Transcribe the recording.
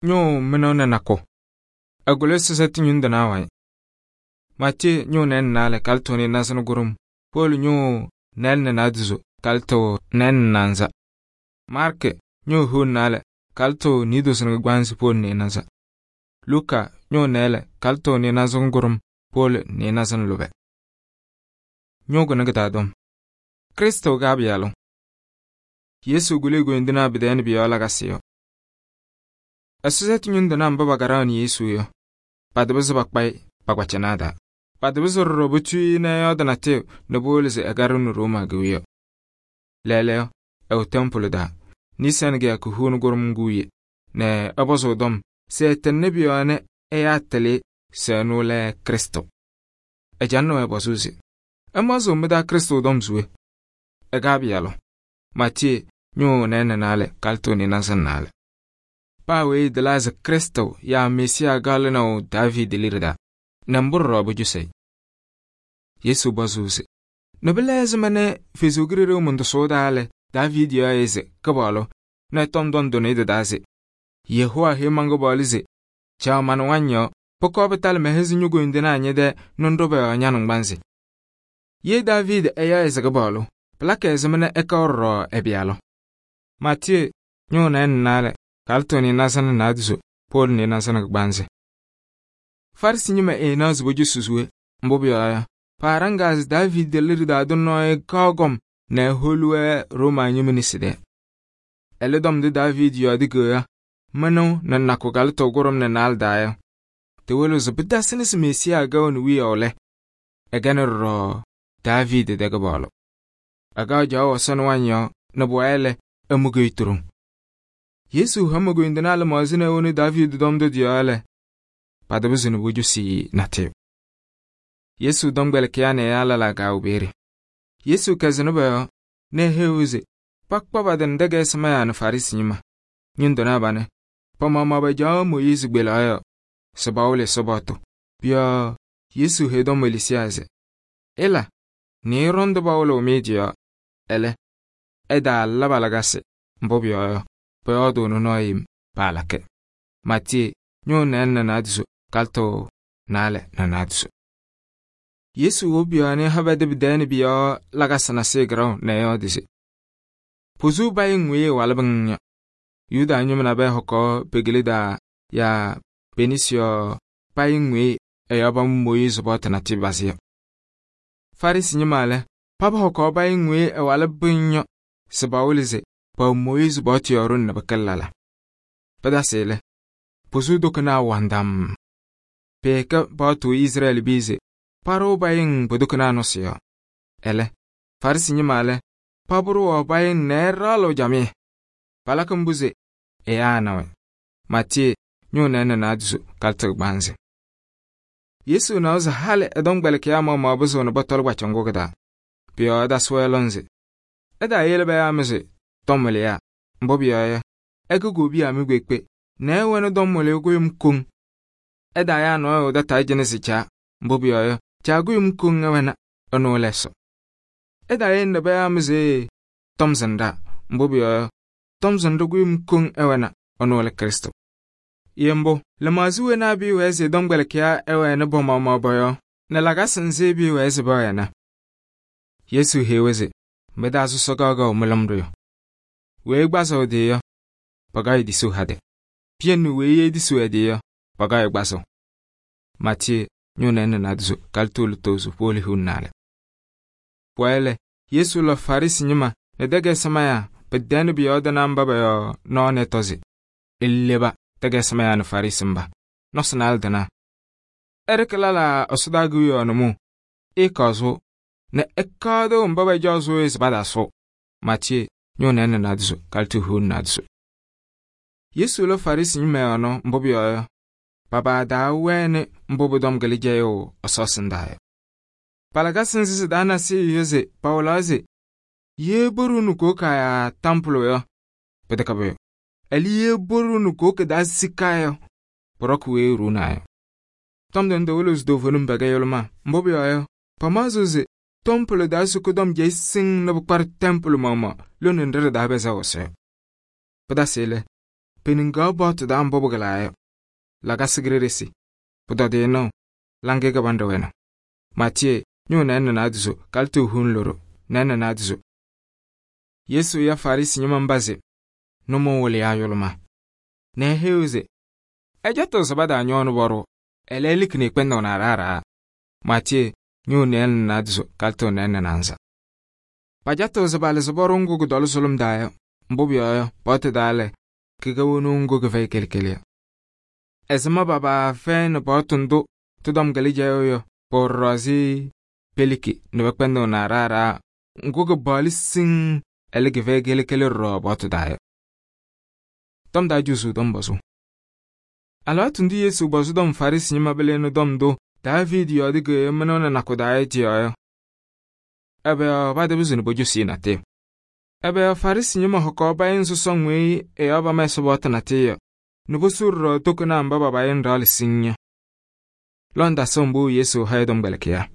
ñʋʋ mɩnʋʋ nɛ nakʋ, agolo sɩsɛtɩ ñʋŋ tɩnaa wayɩ. Maatiyee ñʋʋ nɛɛlɛ nɛ naalɛ kalɩtʋ nɩɩnaza nɛ kʋɖʋm, Poolu ñʋʋ nɛɛlɛ nɛ naadozo kalɩtʋ nɛɛlɛ nɛ naanza. Maarkɩ ñʋʋ hiu nɛ naalɛ kalɩtʋ niidozo nɛ kɩgbaanzɩ Poolu nɩɩnaza. Luka ñʋʋ nɛɛlɛ kalɩtʋ nɩɩnaza nɛ kʋɖʋm, Poolu nɩɩnaza nɛ lʋbɛ. Ñʋʋ kʋnɩ kɩ-taa tɔm. Krɩstʋ ga-Pɩyalʋ. Yesu guli koyindinaa pɩ-tɛɛ nɛ pʋ-yɔɔ lakasɩ yɔ. Ɛsɔtɛtʋ ñʋŋ tɩnaa mba pakaɖaɣnɩ Yesu yɔ, patɩpɩzɩ pakpa-ɩ pa-kpacɩnaa taa. Patɩpɩzɩ ɖɔɖɔ potuu-i nɛ ɛyɔɔdɩ natʋyʋ nɛ powolo se ɛkaɖɩɣnɩ Rooma kewiyaɣ. Lɛɛlɛɛyɔ, ɛwɛ tɛmpʋlɩ taa, Niisaa nɛ kɩyakʋ hiu nɛ kʋɖʋm ŋgʋ wiye, nɛ ɛpɔzʋʋ tɔm se ɛtɩŋnɩ pʋ-yɔɔ nɛ ɛyaa tɩlɩ se ɛnʋ lɛ Krɩstʋ. Ɛcalɩnɩ-wɛ pɔzʋʋ se: ɛmaɣzɩɣ mɩ-taa Krɩstʋ tɔm se we? Ɛga-Pɩyalʋ. Maatiyee ñʋʋ nɛɛlɛ nɛ naalɛ kalɩtʋ nɩɩnaza nɛ naalɛ. Paa weyi tɩlaa se Krɩstʋ yaa Mesiyaa kaɣ lɩnaʋ Daaviidi liɖe taa, nɛ mbʋ ɖɔɖɔ pʋcʋsɩ-ɩ. Yesu pɔzʋʋ se: nɛ pɩla ɛzɩma nɛ Ɛsɔ Kalɩzaɣ mɔntɔsʋʋ taa lɛ, Daaviidi yaɣ-ɩ se Kɩpaɣlʋ, nɛ tɔm tɔnɩ tɩ-taa se: Yehowa heyi man-Kɩpaɣlʋ se: caɣ ma-nɩwaŋ yɔɔ, pʋkɔɔ pɩtalɩ mɛ-hɛzʋ ño-koyindinaa ñɛ-tɛɛ nɛ ŋɖʋ pɔ-yɔɔ ña-nɩŋgbanzɩ. Ye Daaviidi ɛyaɣ-ɩ se Kɩpaɣlʋ, pɩlakɩ ɛzɩma nɛ ɛkaɣ ɖɔɖɔ ɛ-Pɩyalʋ? Maatiyee ñʋʋ nɛɛlɛ nɛ naalɛ kalɩtʋ nɩɩnaza nɛ naadozo, Poolu nɩɩnaza nɛ kɩgbaanzɩ. Farɩsɩ ñɩma ɛɛnaɣ se pɔcɔsɩ se we, mbʋ pʋyɔɔ yɔ, paaɖaŋaa se Daaviidi liɖe taa tʋ nɔɔyʋ kaɣ gɔm nɛ ɛholu-wɛ Rooma ñɩma nesi tɛɛ. Ɛlɛ tɔm ndʋ Daaviidi yɔɔdɩ keɣa mɩnʋʋ nɛ nakʋ kalɩtʋ kʋɖʋm nɛ naalɛ taa yɔ, tɩwɩlɩɣ se pɩtasɩnɩ se Mesiyaa kɛɣnɩ wiyaʋ lɛ, ɛkɛnɩ ɖɔɖɔ Daaviidi tɛ Kɩpaɣlʋ. Ɛkaɣ caɣʋ Ɛsɔ nɩwaŋ yɔɔ nɛ pʋwɛɛ lɛ, ɛmʋ-kɛ turuŋ. Yesu hama koyindinaa lɩmaɣza nɛ ɛwɛnɩ Daaviidi tɔm tʋ tɩ-yɔɔ lɛ, patɩpɩzɩ nɛ pɔcɔsɩ-ɩ natʋyʋ. Yesu tɔmkpɛlɩkɩyaa nɛ ɛyaa lɛlaa kaawɛ peeye. Yesu kɛzɩnɩ pɔ-yɔɔ nɛ eheyi-wɛ se pakpa pa-tɩ nɛ tɛkɛlɛsɩmɛnyaa nɛ Farɩsɩ ñɩma. Ñʋŋ tɩnaa panɛ, pa-maɣmaɣ pacaɣ Mooyiizi kpelaɣ yɔ se pawɩlɩ Ɛsɔ paɣtʋ. Pʋ-yɔɔ Yesu heyi tɔmkpɛlɩkɩyaa se: ɩla nɛ ɩɖɔŋ ndʋ pawɩlɩɣ mɩ tɩ-yɔɔ, ɛlɛ, ɛtaala pa-lakasɩ, mbʋ pʋyɔɔ yɔ, pɔyɔɔdʋʋnɩ nɔɔyʋ yem paalakɩ. Maatiyee ñʋʋ nɛɛlɛ nɛ naadozo kalɩtʋ naalɛ nɛ naadozo. Yesu wo pʋ-yɔɔ nɛ ɛha pɛdɩ pɩ-tɛɛ nɛ pʋ-yɔɔ lakasɩ nasɩyɩ kɩraʋ nɛ ɛyɔɔdɩ se: pozuu payɩ ŋweyi ɛwalɩ bɩŋ yɔ. Yuda ñɩma nabɛyɛ hɔkɔɔ pekele daa yaa penisi yɔ payɩ ŋweyi ɛyɔɔ pamʋ Mooyiizi paɣtʋ natʋyʋ bazɩ yɔ. Farɩsɩ ñɩma lɛ, paba hɔkɔɔ payɩ ŋweyi ɛwalɩ bɩŋ yɔ se pawɩlɩ se paɣʋ Mooyiizi paɣtʋ yɔɔ ɖʋnɩ nɛ pɩkɩlɩ lala. Pɩtasɩ lɛ, pozuu tʋkɩnaa wandam. Pɩɩkɛ paɣtʋ Izrɛɛlɩ bɩɩ se parʋʋ payɩŋ pʋ-tʋkɩnaa nʋsɩ yɔɔ. Ɛlɛ, Farɩsɩ ñɩma lɛ, pabʋrʋʋ payɩŋ nɛ ɛɖaɣlɩɣ jamɩyɛ. Palakɩ mbʋ se ɛyaa na-wɛ. Maatiyee ñʋʋ nɛɛlɛ nɛ naadozo kalɩtʋ kɩgbaanzɩ. Yesu nawa se halɩ ɛ-tɔmkpɛlɩkɩyaa maɣmaɣ pɩzɩɣ nɛ pɔtɔlɩ kpacɩ ŋgʋ kɩ-taa. Pʋ-yɔɔ ɛtasɩ-wɛ lɔŋ se ɛtaayele payaa-mɩ se tɔm wɩlɩyaa, mbʋ pʋyɔɔ yɔ, ɛkɛ kobiya mɩ kpeekpe nɛ ɛwɛnɩ tɔm wɩlɩyʋ kʋyʋm koŋ. Ɛtaayaa nɔɔyʋ tataa jɩnɩ se Caa, mbʋ pʋyɔɔ yɔ, Caa kʋyʋm koŋ ɛwɛna, ɛnʋ lɛ Ɛsɔ. Ɛtaayele nɛ payaa-mɩ se tɔm zɩnɖaa, mbʋ pʋyɔɔ yɔ, tɔm zɩnɖʋ kʋyʋm koŋ ɛwɛna, ɛnʋ lɛ Krɩstʋ. Yɛ mbʋ, lɩmaɣza wenaa bɩɩwɛɛ se tɔmkpɛlɩkɩyaa ɛwɛnɩ bɔ-maɣmaɣ bɔ-yɔɔ nɛ lakasɩ nzɩ bɩɩwɛɛ se pɛwɛna. Yesu heyi-wɛ se mɩ-taa sɔsɔ kaɣ-kaɣ mɩlɩmdʋ yɔ. Weyi gbazɩɣ ɛ-tɩ yɔ, pakaɣ-ɩ disʋʋ hadɛ. Piɛŋ nɛ weyi edisʋʋ ɛ-tɩ yɔ, pakaɣ-ɩ gbazɩɣ. Maatiyee ñʋʋ nɛɛlɛ nɛ naadozo kalɩtʋ lutozo Poolu hiu nɛ naalɛ. Pʋwɛɛ lɛ, Yesu lɔ Farɩsɩ ñɩma nɛ tɛkɛlɛsɩmɛnyaa pɩ-tɛɛ nɛ pʋ-yɔɔdɩnaa mba pɔ-yɔɔ nɔɔ nɛ tɔ se ɩleba tɛkɛlɛsɩmɛnyaa nɛ Farɩsɩ mba nɔsɩ naalɛ tɩnaa. Ɛɖɩkɩ lala ɛsɔdaa kewiyaɣ nʋmɔʋ, ɩɩkaɣzʋʋ nɛ ɛkaɣdʋ mba pacaɣzʋʋ se pataasʋʋ. Maatiyee ñʋʋ nɛɛlɛ nɛ naadozo kalɩtʋ hiu nɛ naadozo. Yesu lɔ Farɩsɩ ñɩma yɔɔ nɔ, mbʋ pʋyɔɔ yɔ, pabaadaa wɛnɩ mbʋ pʋ-tɔm kɩlɩ jɛyʋʋ Ɛsɔ ɛsɩndaa yɔ. Palakasɩ nzɩ sɩ-taa nasɩyɩ yɔ se pawɩlaɣ se yee boru nɛ kooko yaa tampʋlʋ yɔ, pɩtɛkɛ pʋyʋ. Ɛlɛ yee boru nɛ kooko daa sika yɔ, pʋrɔkɩ weyi ruunaa yɔ. Tɔm tɩnɩ tɩwɩlɩɣ se toovenim pɛkɛ yʋlʋmaa, mbʋ pʋyɔɔ yɔ, pamaɣzɩɣ se tɔmpʋlʋ daa sʋkɩ tɔm jɛy siŋ nɛ pʋkparɩ tɛmpʋlʋ maɣmaɣ lónɩ nɖɩ ɖɩ-taa bɛzɛɣ Ɛsɔ yɔ. Pɩtasɩ lɛ, peniŋgaɣ paɣtʋ taa mbʋ pɩkɩlaa yɔ. Lakasɩ ki-ɖeɖe pʋtɔdɩyɛ nɩʋ, laŋɩyɛ kɩbanɖɛ wɛna. Maatiyee ñʋʋ nɩɩyɩ nɛ naadozo kalɩtɔ huun loɖo nɩɩyɩ nɛ naadozo. Yesu ya Farɩsɩ ñɩma mba se nʋmɔʋ wɩlɩyaa yʋlʋmaa nɛ eheyi-wɛ se ɛjɛtɩɣ se pataañɔɔnɩ pɔɖʋʋ, ɛlɛ elikini kpɛndʋʋ nɛ aɖaa. Maatiyee ñʋʋ nɩɩyɩ nɛ naadozo kalɩtɔ nɩɩyɩ nɛ naanza. Pajatɩɣ se palɩzɩ pɔɖʋ ŋgʋ kʋtɔlɩ sʋlʋm taa yɔ, mbʋ pʋyɔɔ yɔ, paɣtʋ taa lɛ, kɩkɛ wonuu ŋgʋ kɩfɛyɩ kele yɔ. Ɛzɩma paafɛyɩnɩ paɣtʋ ndʋ tɩ-tɔm kɩlɩ jɛyʋʋ yɔ, pʋwɛ ɖɔɖɔ ɛzɩ peliki nɛ pɛkpɛndɩɣ nɛ aɖaa ŋgʋ kɩpaɣlɩ siŋŋ, ɛlɛ kɩfɛyɩ kele ɖɔɖɔ paɣtʋ taa yɔ. Tɔm taa jusuu tɔm pɔzʋʋ. Alɩwaatʋ ndʋ Yesu pɔzɩ tɔm Farɩsɩ ñɩma pɩlɩnɩ tɔm ndʋ Daaviidi yɔɔdɩ kɩyɩmɩnʋ nɛ nakʋ taa yɔ tɩ-yɔɔ yɔ, ɛbɛ yɔɔ patapɩzɩ nɛ pocosi-i natɩyʋ? Ɛbɛ yɔɔ Farɩsɩ ñɩma hɔkaɣ payɩŋ sɔsɔŋ weyi ɛ-yɔɔ pama Ɛsɔ paɣtʋ natɩyʋ yɔ, nɛ posu ɖɔɖɔ tokonaa mba pa-payɩŋ ɖaɣlɩ siŋŋ yɔ? Lɔŋtasɩɣ mbʋ Yesu ha ɛ-tɔmkpɛlɩkɩyaa.